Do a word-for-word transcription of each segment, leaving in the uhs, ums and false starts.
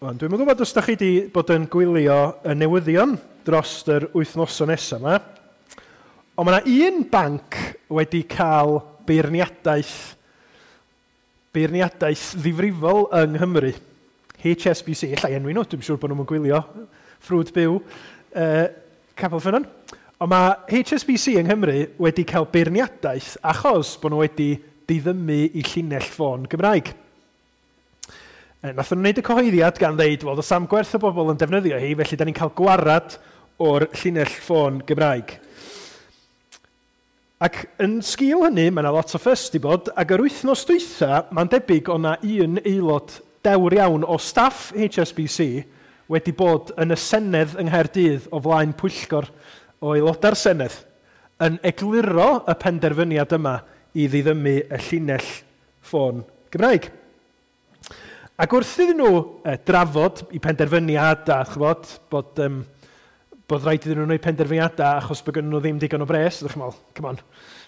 Wan, dwi'm yn gwybod os da chi wedi bod yn gwylio y newyddion dros yr wythnosau nesaf yma, ond mae yna un banc wedi cael beirniadaeth, beirniadaeth ddifrifol yng Nghymru. H S B C, ella enwi nhw, dwi'n siŵr bod nhw'n gwylio ffrwd byw uh, Capel Ffynnon. Ond mae H S B C yng Nghymru wedi cael beirniadaeth achos bod nhw wedi diddymu i llinell ffôn Gymraeg. Nath nhw'n wneud y cyhoeddiad gan ddeud, wel, does am gwerth o bobl yn defnyddio hi, felly da ni'n cael gwarad o'r llinell ffôn Gymraeg. Ac yn sgil hynny, mae yna lot o ffys di bod, ac yr wythnos dwytha, mae'n debyg o na un aelod dewr iawn o staff H S B C wedi bod yn y Senedd yng Nghaerdydd o flaen pwyllgor o aelodau'r Senedd yn egluro y penderfyniad yma i ddiddymu y llinell ffôn Gymraeg. Ac wrth iddyn nhw eh, drafod i penderfyniad a chybod, bod, um, bod rhaid iddyn nhw wneud penderfyniadau achos bod gennyn nhw ddim digon o bres, ydych chi'n meddwl, come on,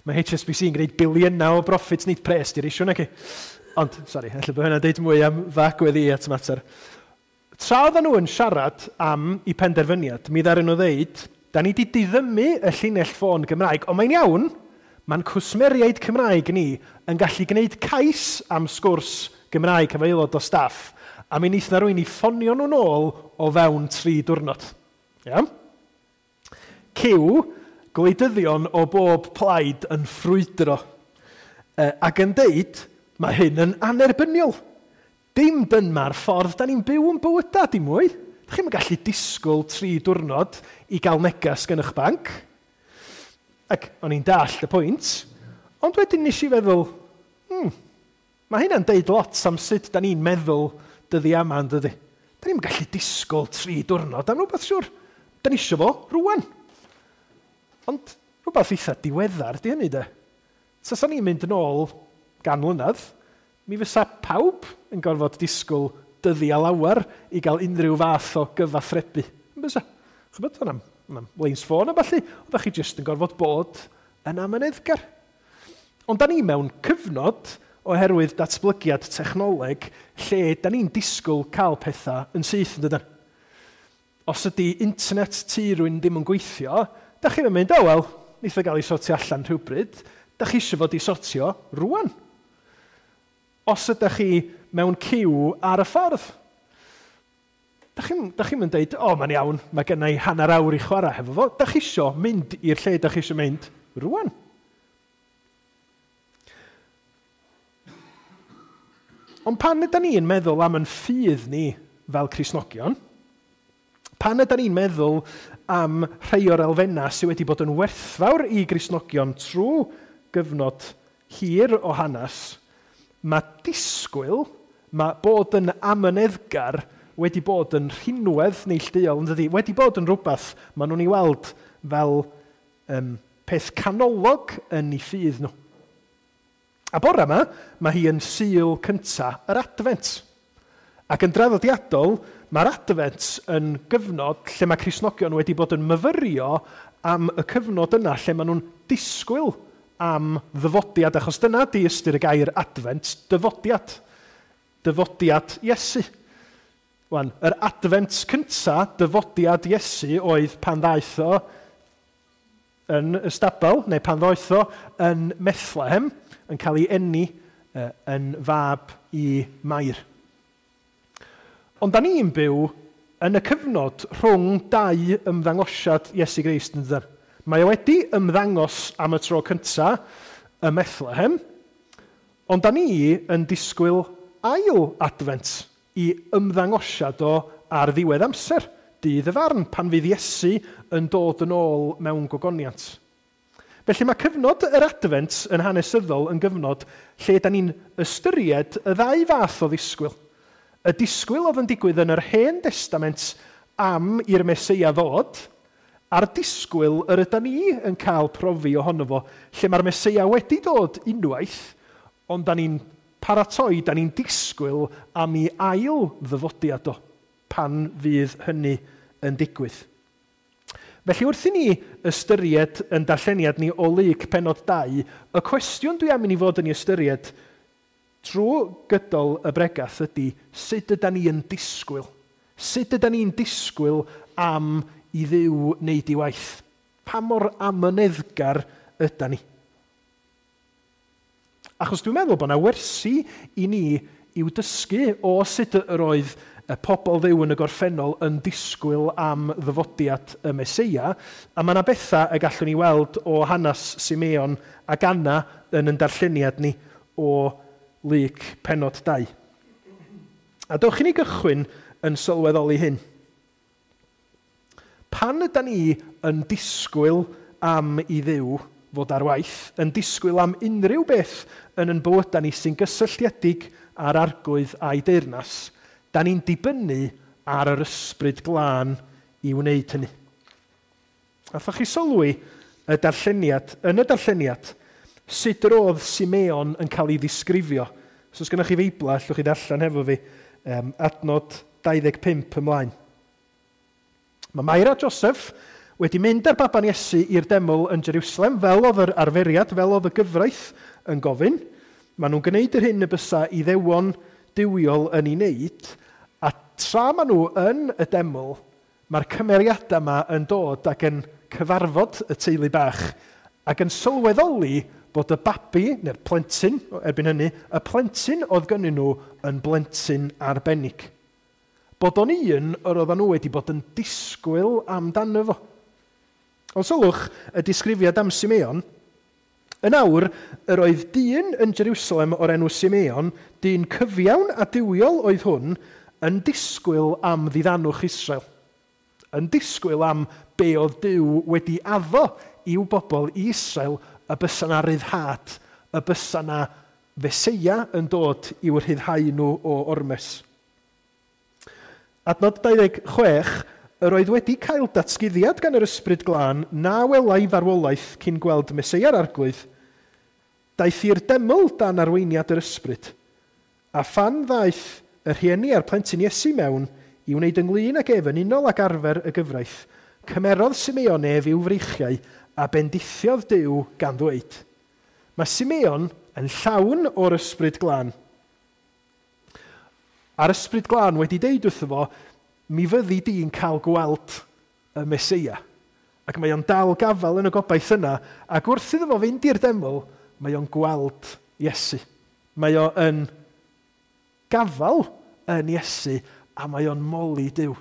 mae H S B C yn gwneud biliynau o profits, nid pres di'r issue, naci. Ond, sori, ella bod hynna'n deud mwy am f'agwedd i at y mater. Tra oedden nhw yn siarad am i penderfyniad, mi ddaru nhw ddeud, da ni wedi diddymu y llinell ffôn Gymraeg, ond mae'n iawn, mae'n cwsmeriaid Cymraeg ni yn gallu gwneud cais am sgwrs Gymraeg efo aelod o staff, a mi wnaeth na rywun i ffonio nhw'n ôl o fewn tri diwrnod. Iawn? Cyw, gwleidyddion o bob plaid yn ffrwydro e, ac yn deud, mae hyn yn annerbyniol. Dim dyma'r ffordd da ni'n byw yn bywyda, dim mwy. Dach chi'm yn gallu disgwyl tri diwrnod i gael neges gan eich banc. Ac o'n i'n dallt y pwynt, ond wedyn nes i feddwl, hmm, mae hynna'n deud lot am sut da ni'n meddwl dyddi yma, yn dydi. Da ni'n gallu disgwyl tri diwrnod am rhywbeth, siwr. Da ni isio fo rwan. Ond rhywbeth eitha diweddar di hynny, de. Tasa ni'n mynd yn ôl gan mlynedd, mi fysa pawb yn gorfod disgwyl dyddi a lawer i gael unrhyw fath o gyfathrebu. Yn bysa? Chybod, o'n am, am leins ffôn a ballu, oeddech chi jyst yn gorfod bod yn amyneddgar. Ond da ni mewn cyfnod oherwydd datblygiad technoleg lle da ni'n disgwyl cael pethau yn syth, yn dydan? Os ydy internet tŷ rhywun ddim yn gweithio, da chi'n mynd, o oh, wel, neith o gael ei sortio allan rhywbryd, da chi eisiau fod i sortio rwan. Os ydych chi mewn ciw ar y ffordd, da chi'n da chi'n mynd deud, o, oh, mae'n iawn, mae gen i hanner awr i chwarae hefo fo. Da chi eisiau mynd i'r lle da chi eisiau mynd rwan. Ond pan ydy ni'n meddwl am yn ffydd ni fel Cristnogion, pan ydy ni'n meddwl am rhai o'r elfennau sydd wedi bod yn werthfawr i Gristnogion trwy gyfnod hir o hanes, mae disgwyl, mae bod yn amyneddgar wedi bod yn rhinwedd neilltuol, yn dydi? Wedi bod yn rhywbeth maen nhw'n ei weld fel um, peth canolog yn eu ffydd nhw. A bore yma, mae hi yn Sul cynta yr Adfent. Ac yn draddodiadol, mae'r Adfent yn gyfnod lle mae Cristnogion wedi bod yn myfyrio am y cyfnod yna lle maen nhw'n disgwyl am ddyfodiad, achos dyna di ystyr y gair Adfent, dyfodiad. Dyfodiad Iesu. Wan, yr Adfent cynta, dyfodiad Iesu, oedd pan ddaeth o yn y stabl, neu pan ddoeth o yn Bethlehem, yn cael ei eni uh, yn fab i Mair. Ond da ni'n byw yn y cyfnod rhwng dau ymddangosiad Iesu Grist, yn dydan? Mae o wedi ymddangos am y tro cynta ym Methlehem, ond da ni yn disgwyl ail adfent i ymddangosiad o ar ddiwedd amser, dydd y farn, pan fydd Iesu yn dod yn ôl mewn gogoniant. Felly mae cyfnod yr Adfent yn hanesyddol yn gyfnod lle da ni'n ystyried y ddau fath o ddisgwyl. Y disgwyl oedd yn digwydd yn yr Hen Testament am i'r Meseia ddod, a'r disgwyl yr yda ni yn cael profi ohono fo, lle mae'r Meseia wedi dod unwaith, ond da ni'n paratoi, da ni'n disgwyl am ei ail ddyfodiad o, pan fydd hynny yn digwydd. Felly wrth i ni ystyried yn darlleniad ni o Luc pennod dau, y cwestiwn dwi am i ni fod yn ei ystyried trwy gydol y bregath ydy sut yda ni yn disgwyl? Sut ydan ni'n disgwyl am i Dduw wneud ei waith? Pa mor amyneddgar ydan ni? Achos dwi'n meddwl bod yna wersi i ni i'w dysgu o sut yr oedd y pobl Dduw yn y gorffennol yn disgwyl am ddyfodiad y Meseia, a mae yna bethau y gallwn ni weld o hanes Simeon ac Anna yn ein darlleniad ni o Luc pennod dau. A dewch i ni gychwyn yn sylweddoli hyn. Pan ydan ni yn disgwyl am i Dduw fod ar waith, yn disgwyl am unrhyw beth yn ein bywydau ni sy'n gysylltiedig â'r Arglwydd a'i deyrnas, da ni'n dibynnu ar yr Ysbryd Glân i wneud hynny. Allwch chi sylwi y darlleniad, yn y darlleniad, sut yr oedd Simeon yn cael ei ddisgrifio. So os gennych chi Feibla, allwch chi ddarllen hefo fi, um, adnod dau ddeg pump ymlaen. Mae Mair a Joseph wedi mynd â'r baban Iesu i'r deml yn Jerusalem, fel oedd yr arferiad, fel oedd y gyfraith yn gofyn. Maen nhw'n gwneud yr hyn y bysa Iddewon duwiol yn ei wneud, a tra maen nhw yn y deml, mae'r cymeriadau yma yn dod ac yn cyfarfod y teulu bach, ac yn sylweddoli bod y babi, neu'r plentyn, erbyn hynny, y plentyn oedd gynnyn nhw yn blentyn arbennig. Bod o'n un yr oedden nhw wedi bod yn disgwyl amdano fo. Ond sylwch y disgrifiad am Simeon. Yn awr, yr oedd dyn yn Jerusalem o'r enw Simeon, dyn cyfiawn a duwiol oedd hwn, yn disgwyl am ddiddanwch Israel. Yn disgwyl am be oedd Duw wedi addo i'w bobl i Israel, y bysa 'na ryddhad, y bysa 'na Feseia yn dod i'w rhyddhau nhw o ormes. Adnod dau ddeg chwech, yr oedd wedi cael datguddiad gan yr Ysbryd Glân na welai farwolaeth cyn gweld Meseia'r Arglwydd, daeth i'r deml dan arweiniad yr Ysbryd, a phan ddaeth y rhieni a'r plentyn Iesu mewn i wneud ynglyn ag ef yn unol ag arfer y gyfraith, cymerodd Simeon ef i'w freichiau a bendithiodd Duw gan ddweud. Mae Simeon yn llawn o'r Ysbryd Glân. A'r Ysbryd Glân wedi deud wrtho fo, mi fyddi di'n cael gweld y Meseia. Ac mae o'n dal gafael yn y gobaith yna, ac wrth iddo fo fynd i'r deml, mae o'n gweld Iesu. Mae o yn gafael yn Iesu, a mae o'n moli Duw.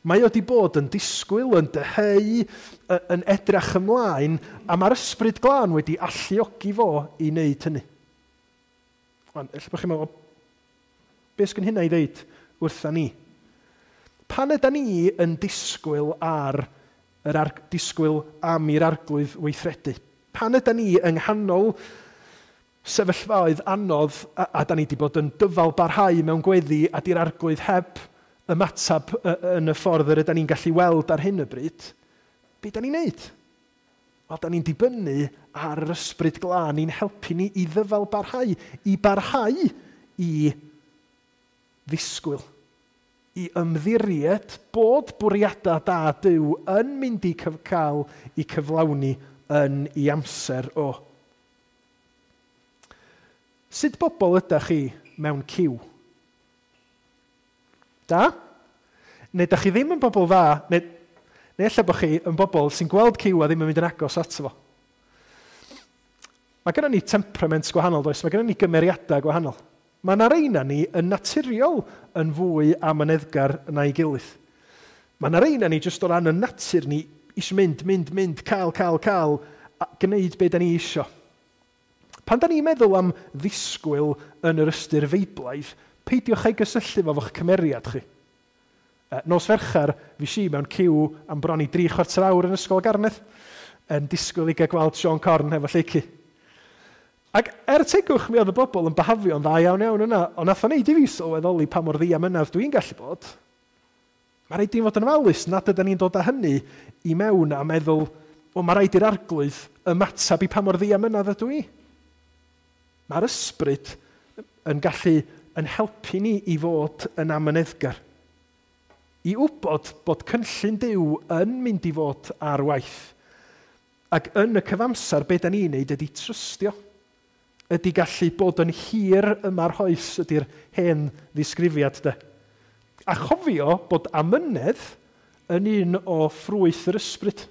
Mae o wedi bod yn disgwyl, yn dyheu, yn edrach ymlaen, a mae'r Ysbryd Glân wedi alluogi fo i wneud hynny. Wan, ella bod chi'n meddwl, beth sgyn hynna i ddeud wrtha ni? Pan ydan ni yn disgwyl ar yr ar, disgwyl am i'r Arglwydd weithredu? Pan ydan ni yng nghanol sefyllfaoedd anodd a, a da ni wedi bod yn dyfal barhau mewn gweddi a di'r Arglwydd heb ymateb yn y ffordd yr ydan ni'n gallu weld ar hyn o bryd, be da ni'n neud? Wel, da ni'n dibynnu ar yr Ysbryd Glân i'n helpu ni i ddyfal barhau, i barhau i ddisgwyl, i ymddiried bod bwriadau da Duw yn mynd i cael ei cyflawni yn ei amser o. Sut bobl ydych chi mewn ciw? Da? Neu ydych chi ddim yn bobl dda, neu, neu ella bod chi yn bobl sy'n gweld ciw a ddim yn mynd yn agos ato fo. Mae gennym ni temperament gwahanol, does? Mae gennym ni gymeriadau gwahanol. Mae yna reina ni yn naturiol yn fwy amyneddgar na'i gilydd. Mae yna reina ni jyst o ran y natur ni eisiau mynd, mynd, mynd, cael, cael, cael, a gwneud be da ni isio. Pan da ni'n meddwl am ddisgwyl yn yr ystyr feiblaidd, peidiwch ei gysylltu fo fo'ch cymeriad chi. Nos Fercher, fi si mewn ciw am bron i dri chwarter awr yn Ysgol Garnedd, yn disgwyl i gael gweld Siôn Corn efo Lleicu. Ac er tegwch mi oedd y bobl yn behafio'n dda iawn iawn yna, ond nath o wneud i fi sylweddoli pa mor ddiamynedd dwi'n gallu bod. Mae rhaid i ni fod yn ofalus nad ydyn ni'n dod â hynny i mewn a meddwl, o, mae rhaid i'r Arglwydd ymateb i pa mor ddiamynedd ydw i. Mae'r Ysbryd yn gallu yn helpu ni i fod yn amyneddgar. I wybod bod cynllun Duw yn mynd i fod ar waith. Ac yn y cyfamser, be da ni'n neud ydy trystio. Ydy gallu bod yn hir yma'r hoes, ydy'r hen ddisgrifiad de. A chofio bod amynedd yn un o ffrwyth yr ysbryd.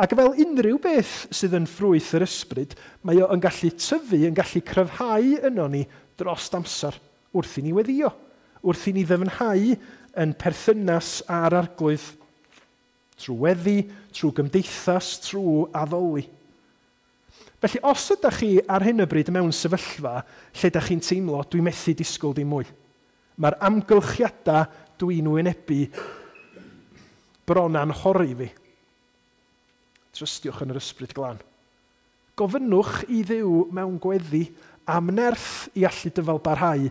Ac fel unrhyw beth sydd yn ffrwyth yr ysbryd, mae o yn gallu tyfu, yn gallu cryfhau yno ni dros amser wrth i ni weddio, wrth i ni ddyfnhau yn perthynas â'r Arglwydd, trwy weddi, trwy gymdeithas, trwy addoli. Felly, os ydych chi ar hyn o bryd mewn sefyllfa lle ydych chi'n teimlo, dwi'n methu disgwyl dim mwy. Mae'r amgylchiadau dwi'n wynebu bron anghori fi. Trystiwch yn yr Ysbryd Glân. Gofynnwch i Dduw mewn gweddi am nerth i allu dyfal barhau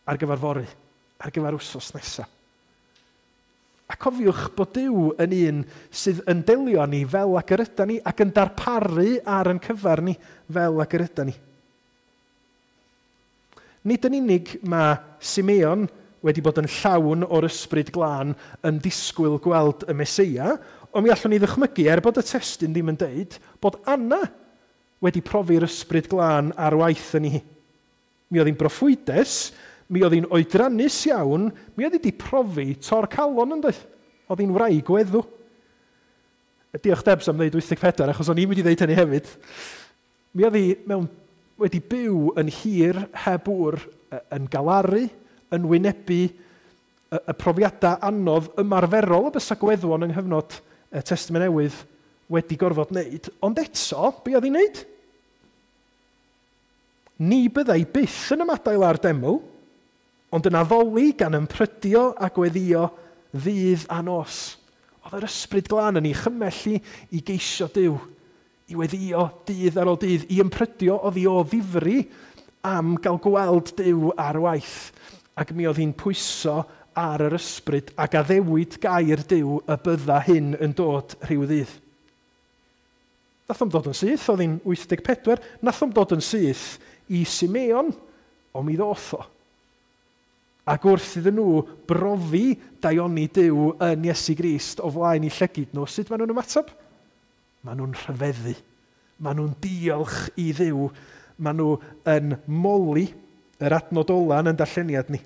ar gyfer fory, ar gyfer wsos nesaf. A cofiwch bod Duw yn un sydd yn delio â ni fel ag yr ydan ni ac yn darparu ar yn cyfer ni fel ag yr ydan ni. Nid yn unig mae Simeon wedi bod yn llawn o'r Ysbryd Glân yn disgwyl gweld y Meseia, ond mi allwn ni ddychmygu, er bod y testun ddim yn deud, bod Anna wedi profi'r Ysbryd Glân ar waith yn hi. Mi oedd hi'n broffwydes, mi oedd hi'n oedrannus iawn, mi oedd hi wedi profi tor calon yn doedd. Oedd hi'n wraig weddw. Diolch Debs am ddeud wyth deg pedwar, achos o'n i'n mynd i ddeud hynny hefyd. Mi oedd hi mewn, wedi byw yn hir heb ŵr, yn galaru, yn wynebu y, y profiadau anodd ymarferol y bysa gweddwon yng nghyfnod y Testament Newydd wedi gorfod wneud. Ond eto, be oedd hi'n wneud? Ni byddai byth yn ymadael â'r deml, ond yn addoli gan ymprydio a gweddio ddydd a nos. Oedd yr Ysbryd Glân yn ei chymell i, i geisio Duw, i weddio dydd ar ôl dydd, i ymprydio oddi o ddifri am gael gweld Duw ar waith. Ac mi oedd hi'n pwyso ar yr ysbryd ac addewid gair Duw y bydda hyn yn dod rhyw ddydd. Nath o'm dod yn syth, oedd hi'n wyth deg pedwar, nath o'm dod yn syth i Simeon, ond mi ddoth o. Ac wrth iddyn nhw brofi daioni Duw yn Iesu Grist o flaen eu llygid nhw, sut maen nhw'n ymateb? Maen nhw'n rhyfeddu. Maen nhw'n diolch i Dduw. Maen nhw yn moli yr adnod ola yn darlleniad ni.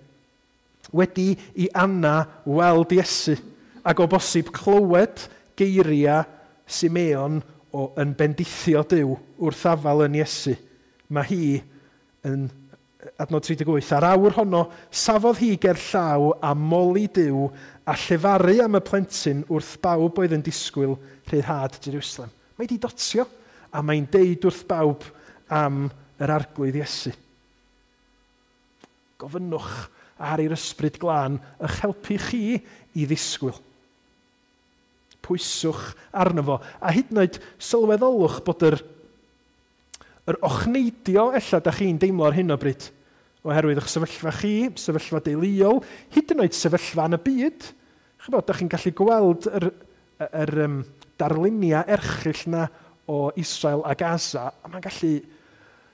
Wedi i Anna weld Iesu, ac o bosib clywed geiriau Simeon o yn bendithio Duw wrth afal yn Iesu, mae hi yn adnod tri deg wyth. Ar awr honno, safodd hi ger llaw a moli Duw a llefaru am y plentyn wrth bawb oedd yn disgwyl rhyddhad Jerusalem. Mae di dotio a mae'n deud wrth bawb am yr Arglwydd Iesu. Gofynnwch ar i'r Ysbryd Glân eich helpu chi i ddisgwyl. Pwyswch arno fo, a hyd yn oed sylweddolwch bod yr, yr ochneidio ella da chi'n deimlo ar hyn o bryd, oherwydd eich sefyllfa chi, sefyllfa deuluol, hyd yn oed sefyllfa yn y byd. Chybod, da chi'n gallu gweld yr, yr, yr um, darluniau erchyll na o Israel a Gaza, a mae'n gallu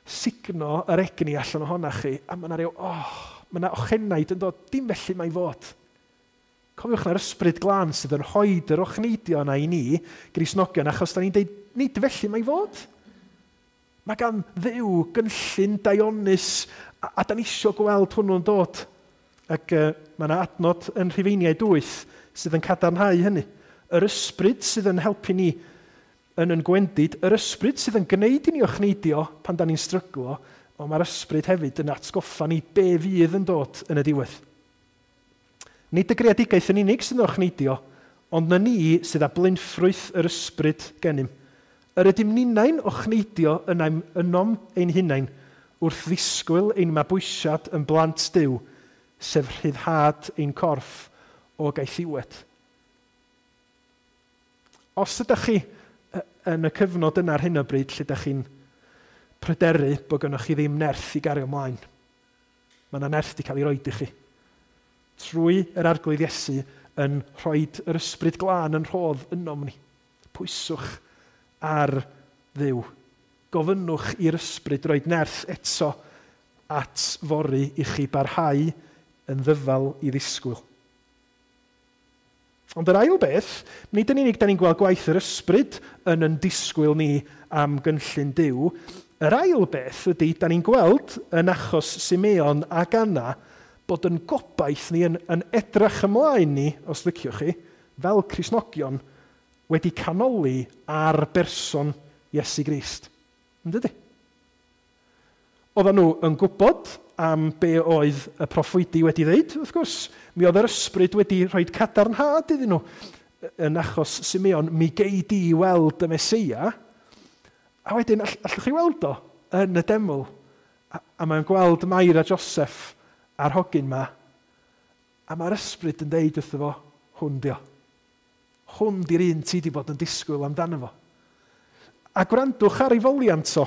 sugno yr egni allan ohona chi, a mae yna rhyw, oh, mae yna ochenaid yn dod, dim felly mae fod. Cofiwch na'r Ysbryd Glân sydd yn rhoi yr ochneidio yna i ni, Gristnogion, achos da ni'n deud, nid felly mae fod. Mae gan Dduw gynllun daionus, a, a da ni isio gweld hwnnw'n dod. Ac uh, mae yna adnod yn Rhufeiniaid wyth sydd yn cadarnhau hynny. Yr ysbryd sydd yn helpu ni yn yn gwendid, yr ysbryd sydd yn gwneud i ni ochneidio pan da ni'n stryglo, ond mae'r ysbryd hefyd yn atgoffa ni be fydd yn dod yn y diwedd. Nid y greadigaeth yn unig sydd yn ochneidio, ond na ni sydd â blinffrwyth yr ysbryd gennym. Yr ydym ninnau'n ochneidio ynom ein hunain wrth ddisgwyl ein mabwysiad yn blant Duw, sef rhyddhad ein corff o gaethiwed. Os ydych chi yn y cyfnod yna ar hyn o bryd lle ydych chi'n pryderu bod gennych chi ddim nerth i gario ymlaen, mae yna nerth wedi cael ei roed i chi. Trwy yr Arglwydd Iesu yn rhoi yr Ysbryd Glân yn rhodd ynom ni. Pwyswch ar Dduw. Gofynnwch i'r Ysbryd roed nerth eto at fory i chi barhau yn ddyfal i ddisgwyl. Ond yr ail beth, nid yn unig da ni'n gweld gwaith yr Ysbryd yn yn disgwyl ni am gynllun Duw, yr ail beth ydy da ni'n gweld yn achos Simeon ac Anna Bod yn gobaith ni, yn, yn edrych ymlaen ni, os liciwch chi, fel Cristnogion, wedi canoli ar berson Iesu Grist. Yn dydy? Oedden nhw yn gwybod am be oedd y proffwydi wedi ddeud, wrth gwrs. Mi oedd yr ysbryd wedi rhoi cadarnhad iddyn nhw. Yn achos Simeon, mi gei di weld y Meseia, a wedyn all, allwch chi weld o yn y deml. A, a mae'n gweld Mair a Joseph a'r hogyn ma, a mae'r ysbryd yn deud wrtho fo, hwn di o. Hwn di'r un ti di bod yn disgwyl amdano fo. A gwrandwch ar ei foliant o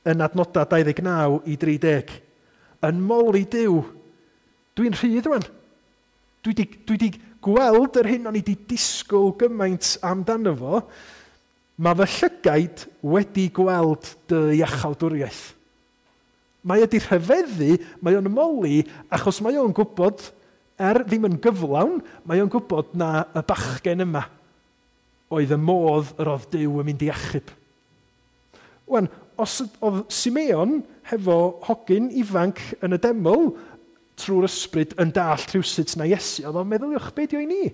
yn adnodau dau ddeg naw i dri deg. Yn moli Duw, dwi'n rhydd rwan. Dwi di, dwi di gweld yr hyn o'n i di disgwyl gymaint amdano fo. Mae fy llygaid wedi gweld dy iachawdwriaeth. Mae wedi rhyfeddu, mae o'n moli, achos mae o'n gwybod, er ddim yn gyflawn, mae o'n gwybod na y bachgen yma oedd y modd yr oedd Duw yn mynd i achub. Wan, os oedd Simeon hefo hogyn ifanc yn y deml trwy'r ysbryd yn dallt rhywsut na Iesu, oedd o'n meddyliwch be di o i ni?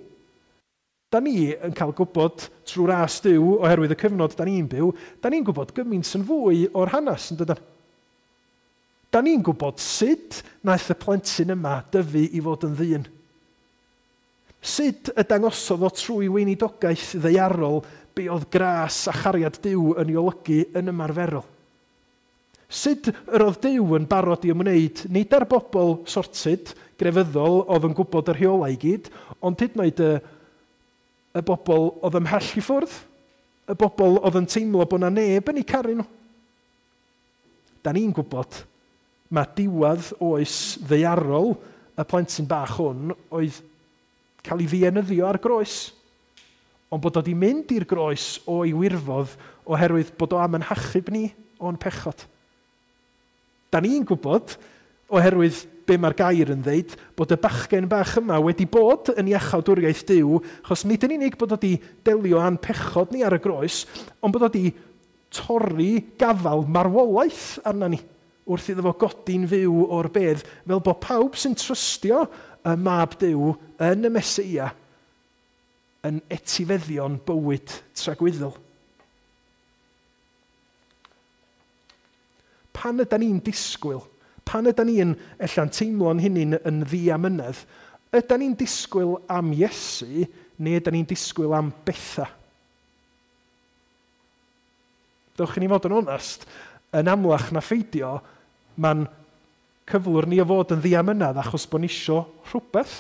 Da ni yn cael gwybod trwy'r ras Duw oherwydd y cyfnod da ni'n byw, da ni'n gwybod gymaint yn fwy o'r hanes, yn dydan? Da ni'n gwybod sut naeth y plentyn yma dyfu i fod yn ddyn. Sut y dangosodd o trwy weinidogaeth ddaearol be oedd gras a chariad Duw yn ei olygu yn ymarferol. Sut yr oedd Duw yn barod i ymwneud nid ar bobl sorted, grefyddol, oedd yn gwybod y rheolau i gyd, ond hyd yn oed y, y bobl oedd ymhell i ffwrdd, y bobl oedd yn teimlo bod na neb yn eu caru nhw. Da ni'n gwybod mae diwedd oes ddaearol y plentyn bach hwn oedd cael ei ddienyddio ar groes. Ond bod o wedi mynd i'r groes o'i wirfodd oherwydd bod o am yn hachub ni o'n pechod. Da ni'n gwybod, oherwydd be mae'r gair yn ddeud, bod y bachgen bach yma wedi bod yn iachawdwriaeth Duw, achos nid yn unig bod o wedi delio â'n pechod ni ar y groes, ond bod o wedi torri gafal marwolaeth arna ni, wrth iddo fo godi'n fyw o'r bedd, fel bod pawb sy'n trystio y mab Duw yn y Meseia yn etifeddion bywyd tragwyddol. Pan ydan ni'n disgwyl, pan ydan ni'n ella'n teimlo'n hynny'n yn ddiamynedd, ydan ni'n disgwyl am Iesu neu ydan ni'n disgwyl am bethau? Dewch i ni fod yn onest, yn amlach na pheidio, mae'n cyflwr ni o fod yn ddiamynedd achos bod ni isio rhywbeth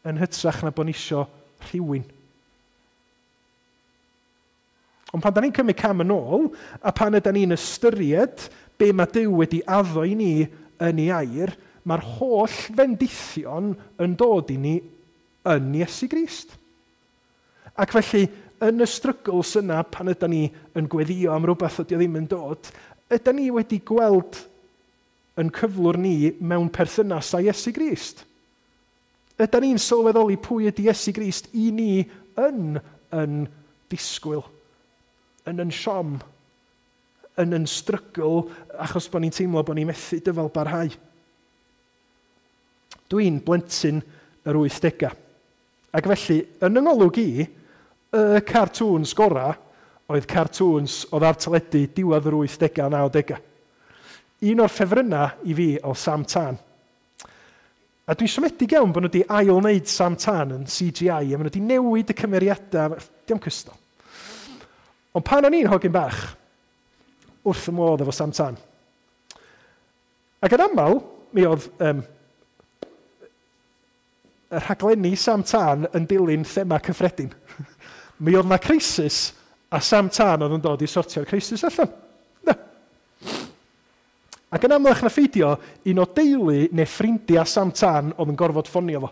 yn hytrach na bod ni isio rhywun. Ond pan da ni'n cymryd cam yn ôl, a pan ydan ni'n ystyried be mae Duw wedi addo i ni yn ei air, mae'r holl fendithion yn dod i ni yn Iesu Grist. Ac felly, yn y struggles yna, pan ydan ni yn gweddio am rhywbeth ydy o ddim yn dod, ydan ni wedi gweld yn cyflwr ni mewn perthynas â Iesu Grist. Ydan ni'n sylweddoli pwy ydy Iesu Grist i ni yn yn disgwyl, yn yn siom, yn yn strygl, achos bod ni'n teimlo bod ni'n methu dyfal barhau. Dwi'n blentyn yr wythdegau. Ac felly, yn yng ngolwg i, y cartoons gora oedd cartoons oedd ar teledu diwedd yr wythdegau a nawdegau. Un o'r ffefrynnau i fi oedd Sam Tân. A dwi'n siomedig iawn bod nhw wedi ail-wneud Sam Tân yn C G I, a maen nhw wedi newid y cymeriadau, diom cystal. Ond pan o'n i'n hogyn bach, wrth y modd efo Sam Tân. Ac yn aml, mi oedd um, y rhaglenni Sam Tân yn dilyn thema cyffredin. Mi oedd na crisis, a Sam Tân oedd yn dod i sortio'r crisis allan. Na. Ac yn amlach na pheidio, un o deulu neu ffrindiau Sam Tân oedd yn gorfod ffonio fo.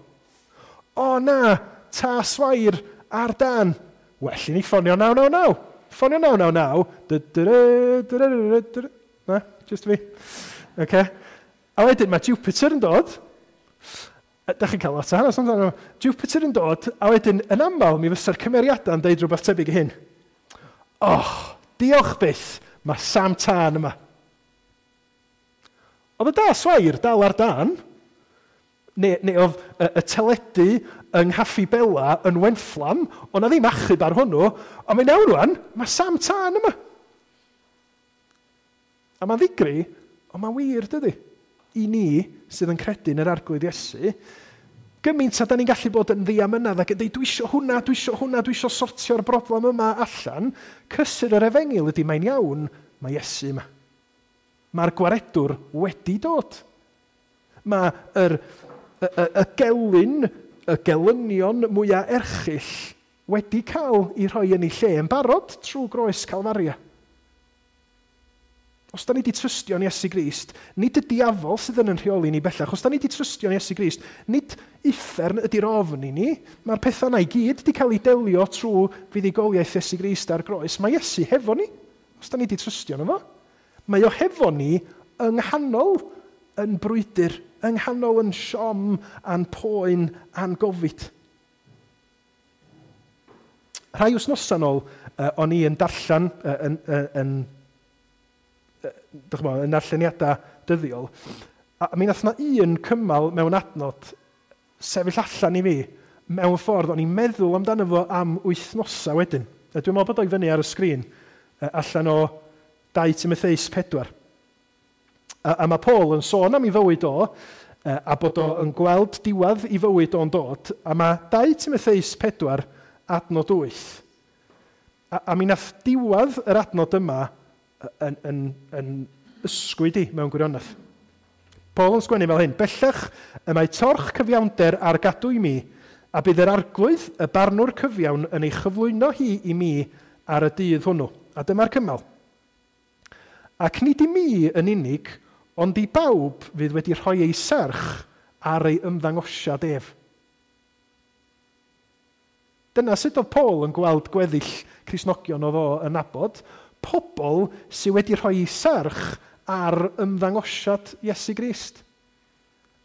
O na, ta swair ar dan. Well i ni ffonio naw naw naw. Ffonio naw naw naw. Na, just fi. Okay. A wedyn mae Jupiter yn dod. Dach chi'n cael lot o hanes amdano. Jupiter yn dod, a wedyn yn aml mi fysa'r cymeriadau yn deud rhywbeth tebyg i hyn. Oh, diolch byth, mae Sam Tân yma. Oedd y da swair dal ar dan, Neu, neu oedd y, y teledu yng Nghaffi Bela yn Wenfflam, ond na ddim achub ar hwnnw, ond mae'n iawn rwan, mae Sam Tân yma. A mae'n ddigri, ond mae'n wir, dydy? I ni sydd yn credu yn yr Arglwydd Iesu, gymaint a da ni'n gallu bod yn ddiamynedd ac yn dweud, dwi isio hwnna, dwi isio hwnna, dwi isio sortio'r broblem yma allan, cysur yr efengyl ydy mae'n iawn, mae Iesu yma. Mae'r gwaredwr wedi dod. Mae yr, y, y, y gelyn, y gelynion mwyaf erchyll wedi cael ei rhoi yn ei lle yn barod trwy groes Calfaria. Os da ni wedi trystio yn Iesu Grist, nid y diafol sydd yn yn rheoli ni bellach. Os da ni wedi trystio yn Iesu Grist, nid uffern ydy'r ofn i ni. Mae'r pethau yna i gyd wedi cael ei delio trwy fuddugoliaeth Iesu Grist ar groes. Mae Iesu hefo ni, os da ni wedi trystio yno fo. Mae o hefo ni yng nghanol yn brwydr, yng nghanol yn siom a'n poen a'n gofid. Rhai wythnosau nôl, uh, o'n i yn darllen uh, yn, yn, yn Chymod, yn darlleniadau dyddiol, a mi nath na un cymal mewn adnod sefyll allan i fi mewn ffordd, o'n i'n meddwl amdano fo am wythnosau wedyn. A dwi'n meddwl bod o i fyny ar y sgrin, allan o dau Timotheus pedwar. A, a mae Paul yn sôn am ei fywyd o, a bod o yn gweld diwedd ei fywyd o'n dod, a mae dau Timotheus pedwar adnod wyth. A, a mi nath diwedd yr adnod yma yn, yn, yn ysgwyd i mewn gwirionedd. Paul yn sgwennu fel hyn, bellach y mae torch cyfiawnder ar gadw i mi, a bydd yr Arglwydd, y barnwr cyfiawn, yn ei chyflwyno hi i mi ar y dydd hwnnw. A dyma'r cymal. Ac nid i mi yn unig, ond i bawb fydd wedi rhoi ei serch ar ei ymddangosiad ef. Dyna sut oedd Paul yn gweld gweddill Cristnogion oedd o yn nabod, pobl sydd wedi rhoi serch ar ymddangosiad Iesu Grist.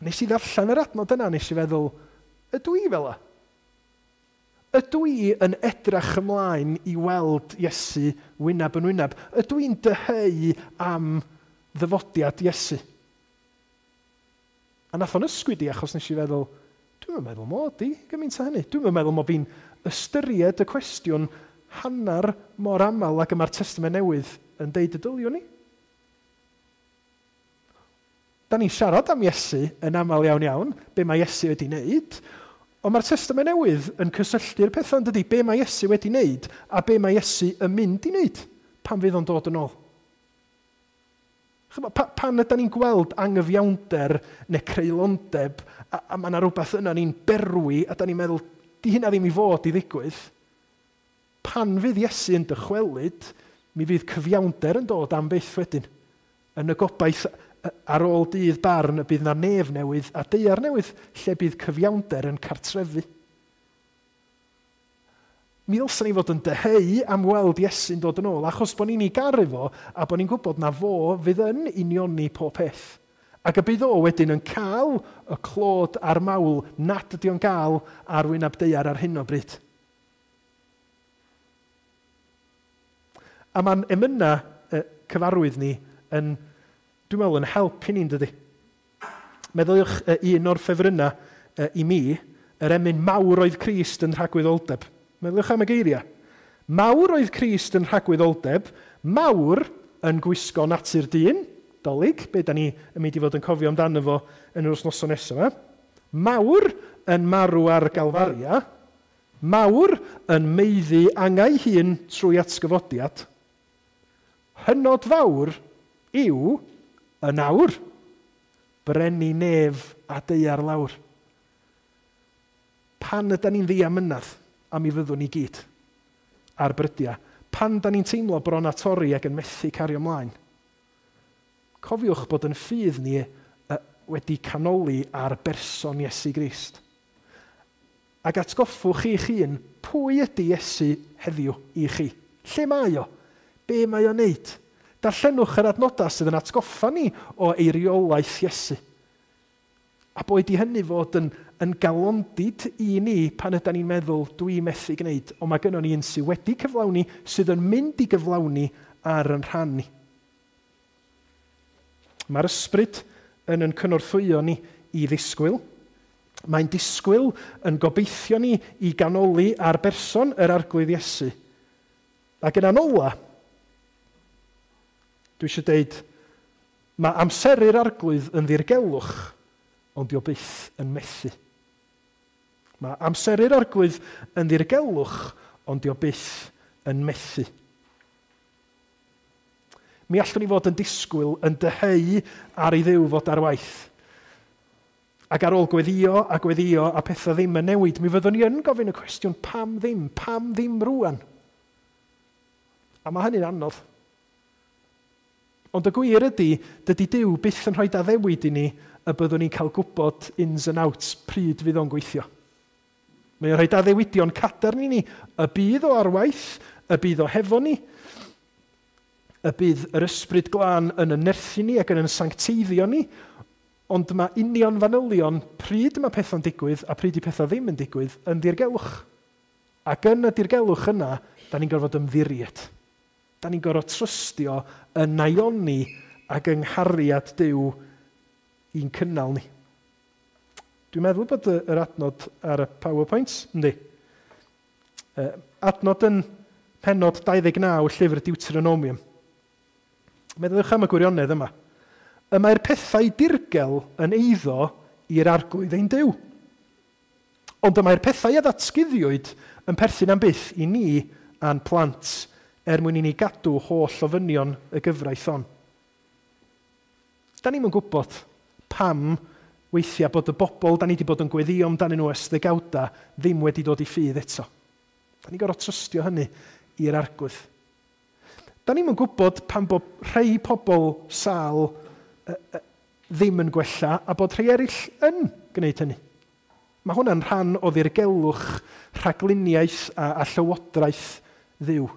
Nes i ddarllen yr adnod yna, nes i feddwl, ydw i fel 'a? Ydw i yn edrach ymlaen i weld Iesu wyneb yn wyneb? Ydw i'n dyheu am ddyfodiad Iesu? A nath o'n ysgwyd i achos nes i feddwl, dwi'm yn meddwl mod i gymaint â hynny. Dwi'm yn meddwl mod fi'n ystyried y cwestiwn hanner mor aml ag y mae'r Testament Newydd yn deud y dyliwn ni. Da ni'n siarad am Iesu yn aml iawn iawn, be mae Iesu wedi wneud, ond mae'r Testament Newydd yn cysylltu'r pethau yn dydy, be mae Iesu wedi wneud a be mae Iesu yn mynd i wneud pan fydd o'n dod yn ôl. Chymod, pa, pan ydy ni'n gweld angyfiawnder neu creulondeb, a, a mae yna rhywbeth yna ni'n berwi, a da ni'n meddwl, di hynna ddim i fod i ddigwydd. Pan fydd Iesu yn dychwelyd, mi fydd cyfiawnder yn dod am byth wedyn. Yn y gobaith ar ôl dydd barn y bydd na nef newydd a daear newydd, lle bydd cyfiawnder yn cartrefu. Mi ddylsen ni fod yn dyheu am weld Iesu'n dod yn ôl, achos bod ni'n ei garu fo, a bod ni'n gwybod na fo fydd yn unioni pob peth. Ac y bydd o wedyn yn cael y clod a'r mawl nad ydy o'n gael ar wyneb daear ar hyn o bryd. A mae'n emyna cyfarwydd ni yn, dwi'n meddwl, yn help i ni'n dydy. Meddyliwch un o'r ffefrynnau i mi, yr emyn mawr oedd Crist yn rhagwyddoldeb. Meddyliwch am y geiriau. Mawr oedd Crist yn rhagwyddoldeb, mawr yn gwisgo natur dyn, dolyg, be da ni yn mynd i fod yn cofio amdano fo yn yr wythnosau nesaf yma. Mawr yn marw ar Galfaria, mawr yn meiddi angau hun trwy atgyfodiad. Hynod fawr yw yn awr, brenin nef a daear lawr. Pan ydy ni'n ddiamynedd, a mi fyddwn ni gyd ar brydiau, pan da ni'n teimlo bron a torri ac yn methu cario ymlaen, cofiwch bod yn ffydd ni wedi canoli ar berson Iesu Grist. Ac atgoffwch chi'ch hun, pwy ydy Iesu heddiw i chi? Lle mae o? Be mae o'n neud? Darllenwch yr adnodau sydd yn atgoffa ni o eiriolaeth Iesu. A boed i hynny fod yn, yn galondid i ni pan ydy ni'n meddwl dwi methu gwneud, ond mae gynnon ni un sydd wedi cyflawni, sydd yn mynd i gyflawni ar yn rhan ni. Mae'r ysbryd yn yn cynorthwyo ni i ddisgwyl. Mae'n disgwyl yn gobeithio ni i ganoli ar berson yr Arglwydd Iesu. Ac yn anola, dwi eisiau deud, mae amseru'r Arglwydd yn ddirgelwch, ond dio byth yn methu. Mae amseru'r Arglwydd yn ddirgelwch, ond dio byth yn methu. Mi allwn ni fod yn disgwyl yn dyheu ar ei Dduw fod ar waith. Ac ar ôl gweddio a gweddio a pethau ddim yn newid, mi fyddwn ni yn gofyn y cwestiwn, pam ddim? Pam ddim rwan? A mae hynny'n anodd. Ond y gwir ydy, dydy Duw byth yn rhoi addewid i ni y byddwn ni'n cael gwybod ins and outs pryd fydd o'n gweithio. Mae o'n rhoi addewidion cadarn i ni, y bydd o ar waith, y bydd o hefo ni, y bydd yr Ysbryd Glân yn yn nerthu ni ac yn yn sancteiddio ni, ond mae union fanylion pryd mae pethau'n digwydd a pryd i pethau ddim yn digwydd yn ddirgelwch. Ac yn y dirgelwch yna, da ni'n gorfod ymddiried. Da ni'n gorfod trystio yn naioni ac yng nghariad Duw i'n cynnal ni. Dwi'n meddwl bod yr adnod ar y PowerPoint, yndi. Adnod yn pennod dau ddeg naw llyfr Deuteronomium. Meddyliwch am y gwirionedd yma. Y mae'r pethau dirgel yn eiddo i'r Arglwydd ein Duw. Ond y mae'r pethau a ddatguddiwyd yn perthyn am byth i ni a'n plant, er mwyn i ni gadw holl ofynion y gyfraith hon. Da ni'm yn gwybod pam weithiau bod y bobl da ni wedi bod yn gweddio amdanyn nhw ers ddegawda ddim wedi dod i ffydd eto. Da ni'n gorfod trystio hynny i'r Arglwydd. Da ni'm yn gwybod pam bod rhai pobl sâl ddim yn gwella a bod rhai eraill yn gwneud hynny. Mae hwnna'n rhan o ddirgelwch, rhagluniaeth a, a llywodraeth Dduw.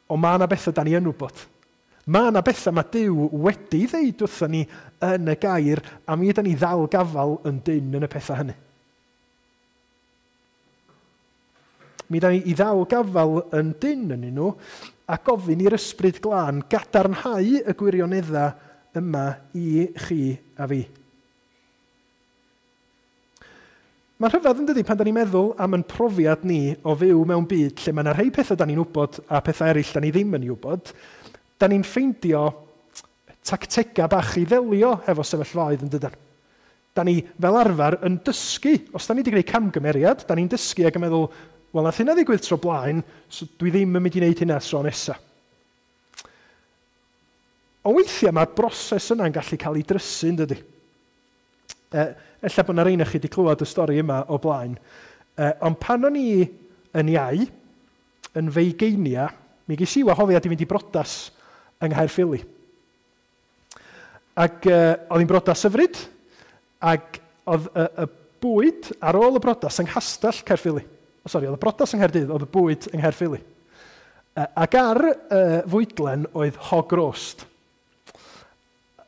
Ond mae yna bethau da ni yn wybod. Mae yna bethau mae Duw wedi ddeud wrthon ni yn y gair, a mi ydan ni ddal gafal yn dynn yn y pethau hynny. Mi ydan ni i ddal gafal yn dynn yn nhw, a gofyn i'r Ysbryd Glân gadarnhau y gwirioneddau yma i chi a fi. Mae'n rhyfedd yn dydi pan da ni'n meddwl am yn profiad ni o fyw mewn byd lle mae yna rhai pethau da ni'n wybod a pethau eraill da ni ddim yn ei wybod, da ni'n ffeindio tactegau bach i ddelio hefo sefyllfaoedd yn dydan. Da ni fel arfer yn dysgu, os da ni wedi gwneud camgymeriad, da ni'n dysgu ac yn meddwl, wel, nath hynna ddigwydd tro blaen, so dwi ddim yn mynd i wneud hynna tro nesaf. Ond weithiau mae'r broses yna'n gallu cael ei drysu, yn dydi? E, ella bod yna rheina chi wedi clywed y stori yma o blaen. E, ond pan o'n i yn iau, yn feigeinia, mi ges i wahoddiad i fynd i brodas yng Nghaerffili. Ac e, oedd hi'n brodas hyfryd, ac oedd y, y bwyd ar ôl y brodas yng Nghastell Caerffili. Oh, sori, oedd y brodas yng Nghaerdydd, oedd y bwyd yng Nghaerffili. E, ac ar y fwydlen oedd hog roast.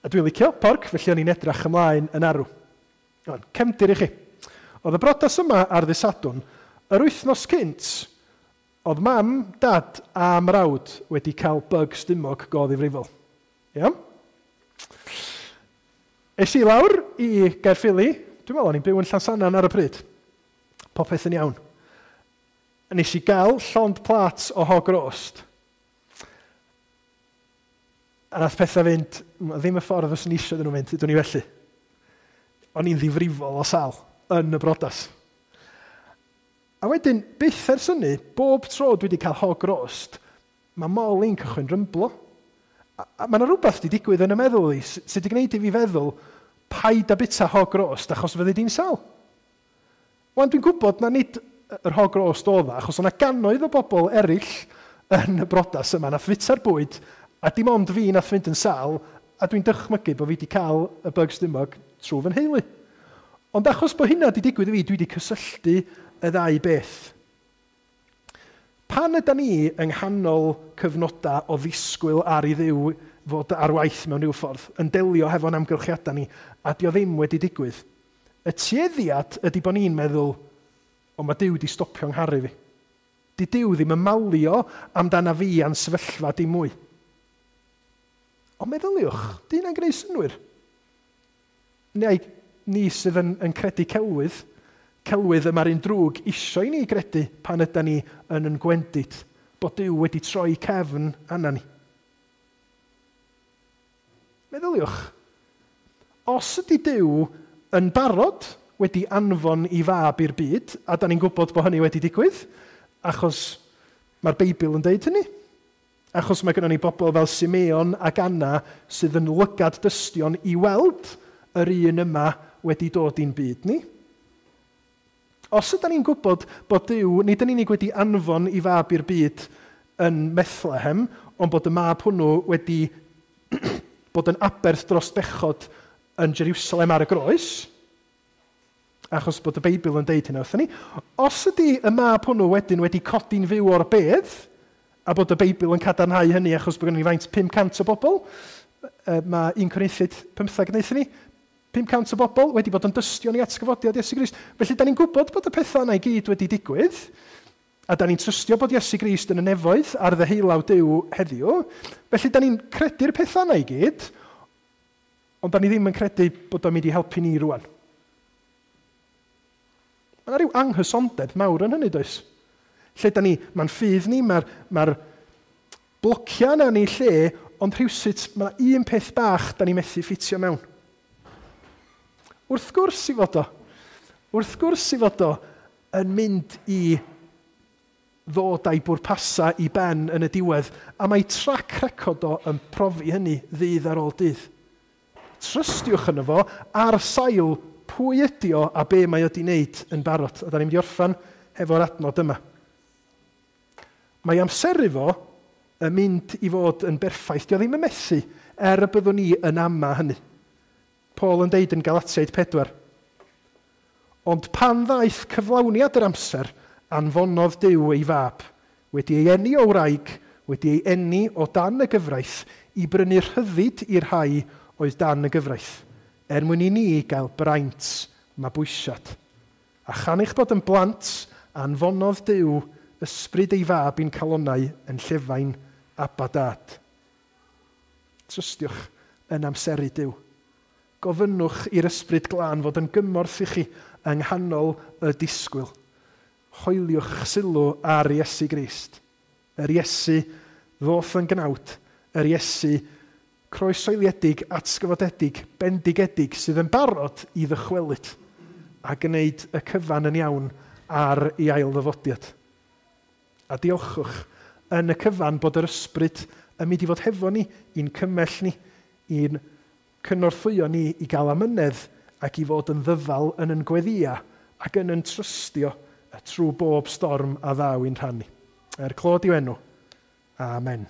A dwi'n licio porc, felly o'n i'n edrach ymlaen yn arw. Iawn, cefndir i chi. Oedd y brodas yma ar ddydd Sadwrn, yr wythnos cynt, oedd mam, dad a mrawd wedi cael bug stumog go ddifrifol. Iawn? Es i lawr i Gaerffili, dwi'n meddwl o'n i'n byw yn Llansannan ar y pryd. Popeth yn iawn. A nes i gael llond plat o hog roast. A nath pethau fynd, ddim y ffordd fyswn i eisiau iddyn nhw fynd, ydw ni felly. O'n i'n ddifrifol o sal yn y brodas. A wedyn, byth ers hynny, bob tro dwi wedi cael hog roast, mae mol i'n cychwyn rymblo. A, a mae yna rhywbeth wedi digwydd yn y meddwl i, sydd wedi gwneud i fi feddwl, paid a bita hog roast achos fyddi di'n sal. Wan, dwi'n gwybod na nid yr hog roast oedd, achos o'na gannoedd o bobl eraill yn y brodas yma, nath fita'r bwyd, a dim ond fi nath fynd yn sal, a dwi'n dychmygu bod fi wedi cael y bug stumog trwy fy nheulu. Ond achos bod hynna wedi digwydd i fi, dwi wedi cysylltu y ddau beth. Pan yda ni yng nghanol cyfnodau o ddisgwyl ar i Dduw fod ar waith mewn rhyw ffordd, yn delio hefo'n amgylchiadau ni, a dio ddim wedi digwydd, y tueddiad ydy bod ni'n meddwl, o mae Duw wedi stopio ngharu fi. Di Duw ddim yn malio amdana fi a'n sefyllfa dim mwy. Ond meddyliwch, di hynna'n gwneud synnwyr? Neu ni sydd yn, yn credu celwydd. Celwydd y mae'r un drwg isio i ni gredu pan yda ni yn yn gwendid, bod Duw wedi troi cefn arna ni. Meddyliwch, os ydy Duw yn barod wedi anfon i fab i'r byd, a da ni'n gwybod bod hynny wedi digwydd, achos mae'r Beibl yn deud hynny. Achos mae gennym ni bobl fel Simeon ac Anna sydd yn lygad dystion i weld yr un yma wedi dod i'n byd ni. Os ydyn ni'n gwybod bod Duw nid yn unig wedi anfon i fab i'r byd yn Bethlehem, ond bod y mab hwnnw wedi bod yn aberth dros bechod yn Jerusalem ar y groes, achos bod y Beibl yn deud hynna wrthyn ni, os ydy y mab hwnnw wedyn wedi codi'n fyw o'r bedd, a bod y Beibl yn cadarnhau hynny achos bod gennym ni faint pum cant o bobl, mae un Corinthiaid pymtheg yn deud ni, pum cant o bobl wedi bod yn dystion i atgyfodiad Iesu Grist. Felly, da ni'n gwybod bod y pethau yna i gyd wedi digwydd, a da ni'n trystio bod Iesu Grist yn y nefoedd ar ddeheulaw Duw heddiw. Felly, da ni'n credu'r pethau yna i gyd, ond da ni ddim yn credu bod o'n mynd i helpu ni rwan. Mae yna rhyw anghysondeb mawr yn hynny, does? Lle da ni, mae'n ffydd ni, mae'r mae blociau yna ni lle, ond rhywsut mae yna un peth bach da ni methu ffitio mewn. Wrth gwrs i fod o, wrth gwrs i fod o yn mynd i ddod a'i bwrpasa i ben yn y diwedd, a mae track record o yn profi hynny ddydd ar ôl dydd. Trystiwch yno fo ar sail pwy ydi o a be mae o di wneud yn barod. A da ni'n mynd i orffan hefo'r adnod yma. Mae amseru fo yn mynd i fod yn berffaith. Dio ddim yn methu er y byddwn ni yn ama hynny. Paul yn deud yn Galatiaid pedwar. Ond pan ddaeth cyflawniad yr amser, anfonodd Duw ei fab, wedi ei eni o wraig, wedi ei eni o dan y gyfraith, i brynu rhyddid i'r rhai oedd dan y gyfraith, er mwyn i ni gael braint mabwysiad. A chan eich bod yn blant, anfonodd Duw ysbryd ei fab i'n calonnau yn llefain Abba Dad. Trystiwch yn amseru Duw. Gofynnwch i'r ysbryd glân fod yn gymorth i chi yng nghanol y disgwyl. Hoeliwch sylw ar Iesu Grist. Yr Iesu ddoth yn gnawd, yr Iesu croesoeliedig, atgyfodedig, bendigedig sydd yn barod i ddychwelyd a gwneud y cyfan yn iawn ar ei ail ddyfodiad. A diolchwch yn y cyfan bod yr ysbryd yn mynd i fod hefo ni, i'n cymell ni, i'n cynorthwyo ni i gael amynedd ac i fod yn ddyfal yn yn gweddia ac yn yn trystio trwy bob storm a ddaw i'n rhan ni. Er clod i'w enw. Amen.